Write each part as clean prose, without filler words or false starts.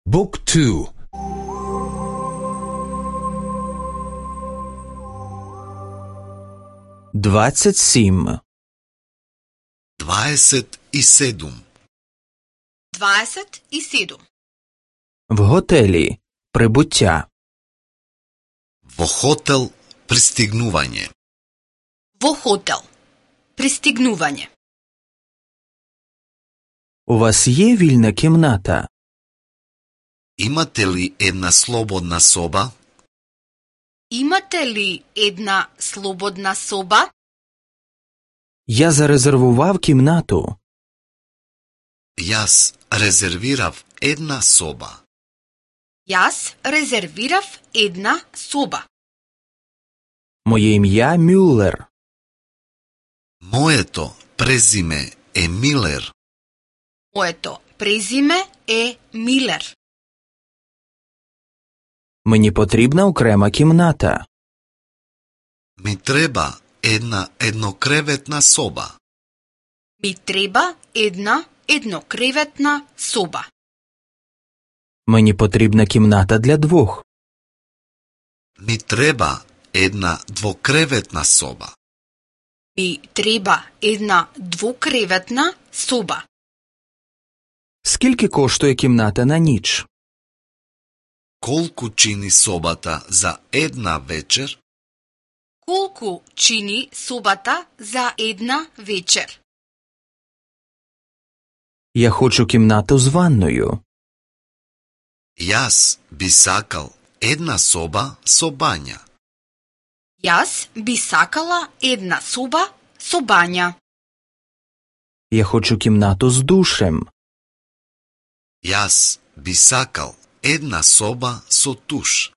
Book 2. Двадцять сім. 27. 27. В готелі. Прибуття. Во хотел пристигнување. Во хотел. Пристигнување. У вас є вільна кімната? Имате ли една слободна соба? Имате ли една слободна соба? Я зарезервував кімнату. Јас резервирав една соба. Јас резервирав една соба. Моє ім'я Мюллер. Моето презиме е Милер. Моето презиме е Милер. Мені потрібна окрема кімната. Ми треба една еднокреветна соба. Ми треба една еднокреветна соба. Мені потрібна кімната для двох. Ми треба една двокреветна соба. Ми треба една двокреветна соба. Скільки коштує кімната на ніч? Колку чини собата за една вечер? Колку чини собата за една вечер? Я хочу кімнату з ванною. Јас би сакал една соба со бања. Јас би сакала една соба со бања. Я хочу кімнату з душем. Јас би сакал една соба со туш.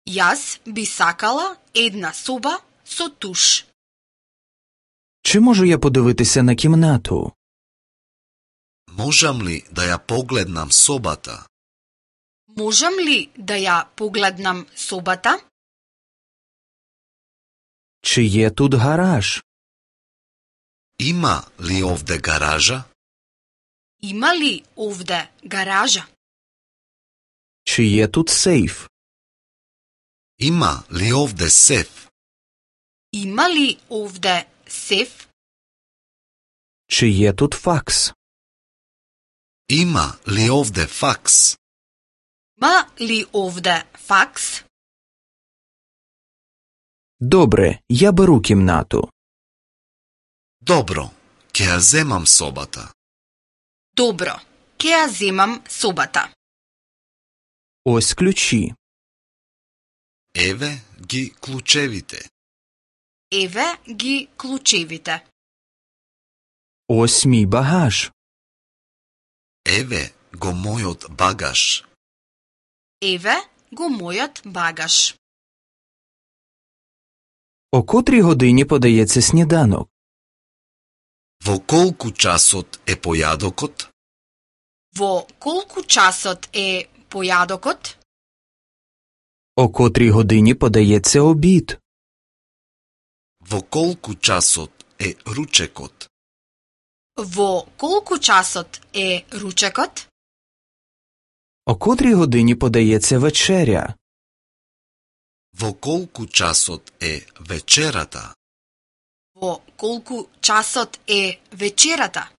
Јас би сакала една соба со туш. Чи можу я подивитися на кімнату? Можам ли да ја погледнам собата? Можам ли да ја погледнам собата? Чи є тут гараж? Има ли овде гаража? Има ли овде гаража? Чи є тут сейф? Има ли овде сеф? Има ли овде сеф? Чи є тут факс? Има ли овде факс? Има ли овде факс? Добре, я беру кімнату. Добро, ќе ја земам собата. Добро, ќе ја земам собата. Ось ключі. Еве ги клучевите. Еве ги клучевите. Ось мій багаж. Еве го мојот багаж. Еве го мојот багаж. О котрій годині подається сніданок? Во колку часот е појадокот? Во колку часот е појадокот? О котрій годині подається обід? Во колку часот е ручекот? Во колку часот е ручекот? О котрій годині подається вечеря? Во колку часот е вечерата? Во колку часот е вечерата?